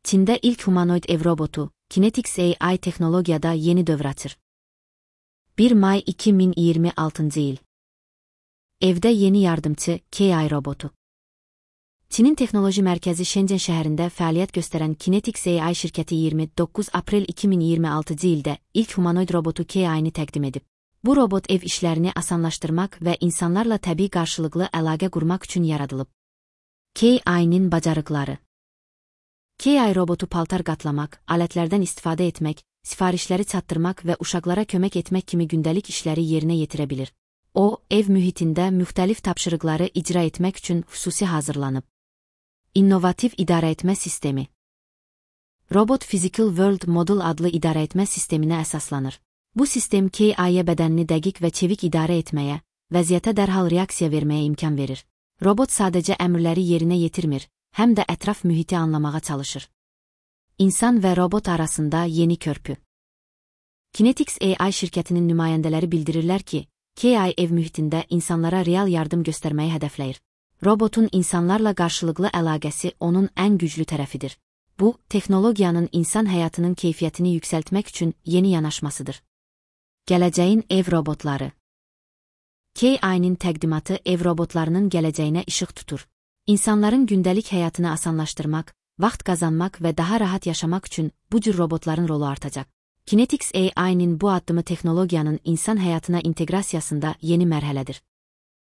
Çin'de ilk humanoid ev robotu, Kinetix AI teknolojiyada yeni dövr açır. 1 May 2026 yıl. Evdə yeni yardımçı KI robotu. Çinin Texnoloji Mərkəzi Shenzhen şəhərində fəaliyyət göstərən Kinetix AI şirkəti 29 aprel 2026 ildə ilk humanoid robotu KI-ni təqdim edib. Bu robot ev işlərini asanlaşdırmaq və insanlarla təbii qarşılıqlı əlaqə qurmaq üçün yaradılıb. KI-nin bacarıqları. KI robotu paltar qatlamaq, alətlərdən istifadə etmək, sifarişləri çatdırmaq və uşaqlara kömək etmək kimi gündəlik işləri yerinə yetirə bilir. O, ev mühitində müxtəlif tapşırıqları icra etmək üçün xüsusi hazırlanıb. İnnovativ idarəetmə sistemi. Robot Physical World Model adlı idarəetmə sisteminə əsaslanır. Bu sistem KI-yə bədənini dəqiq və çevik idarə etməyə, vəziyyətə dərhal reaksiya verməyə imkan verir. Robot sadəcə əmrləri yerinə yetirmir, həm də ətraf mühiti anlamağa çalışır. İnsan və robot arasında yeni körpü. Kinetix AI şirkətinin nümayəndələri bildirirlər ki, KI ev mühitində insanlara real yardım göstərməyi hədəfləyir. Robotun insanlarla qarşılıqlı əlaqəsi onun ən güclü tərəfidir. Bu, texnologiyanın insan həyatının keyfiyyətini yüksəltmək üçün yeni yanaşmasıdır. Gələcəyin ev robotları. KI-nin təqdimatı ev robotlarının gələcəyinə işıq tutur. İnsanların gündəlik həyatını asanlaşdırmaq, vaxt qazanmaq və daha rahat yaşamaq üçün bu cür robotların rolu artacaq. Kinetix AI-nin bu addımı texnologiyanın insan həyatına inteqrasiyasında yeni mərhələdir.